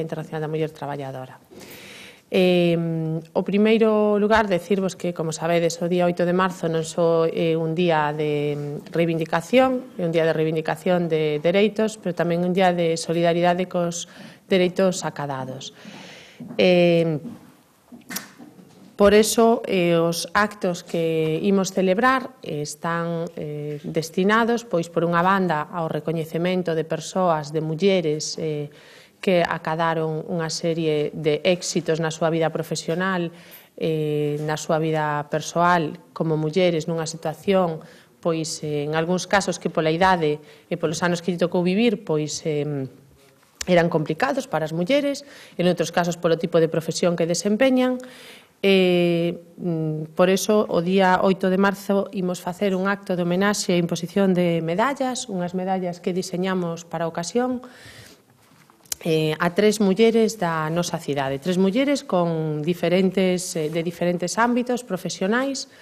Internacional da Muller Traballadora. O primeiro lugar, decirvos que, como sabedes, o día 8 de marzo non só é un día de reivindicación, é un día de reivindicación de dereitos, pero tamén un día de solidaridade cos dereitos acadados. Por eso, os actos que imos celebrar están destinados, pois, por unha banda, ao recoñecemento de persoas, de mulleres que acadaron unha serie de éxitos na súa vida profesional, na súa vida persoal, como mulleres nunha situación, pois, en algúns casos que pola idade e polos anos que lle tocou vivir, pois, eran complicados para as mulleres, en outros casos polo tipo de profesión que desempeñan. Por eso, o día 8 de marzo imos facer un acto de homenaxe e imposición de medallas, unhas medallas que diseñamos para a ocasión, a 3 mulleres da nosa cidade, 3 mulleres con de diferentes ámbitos profesionais,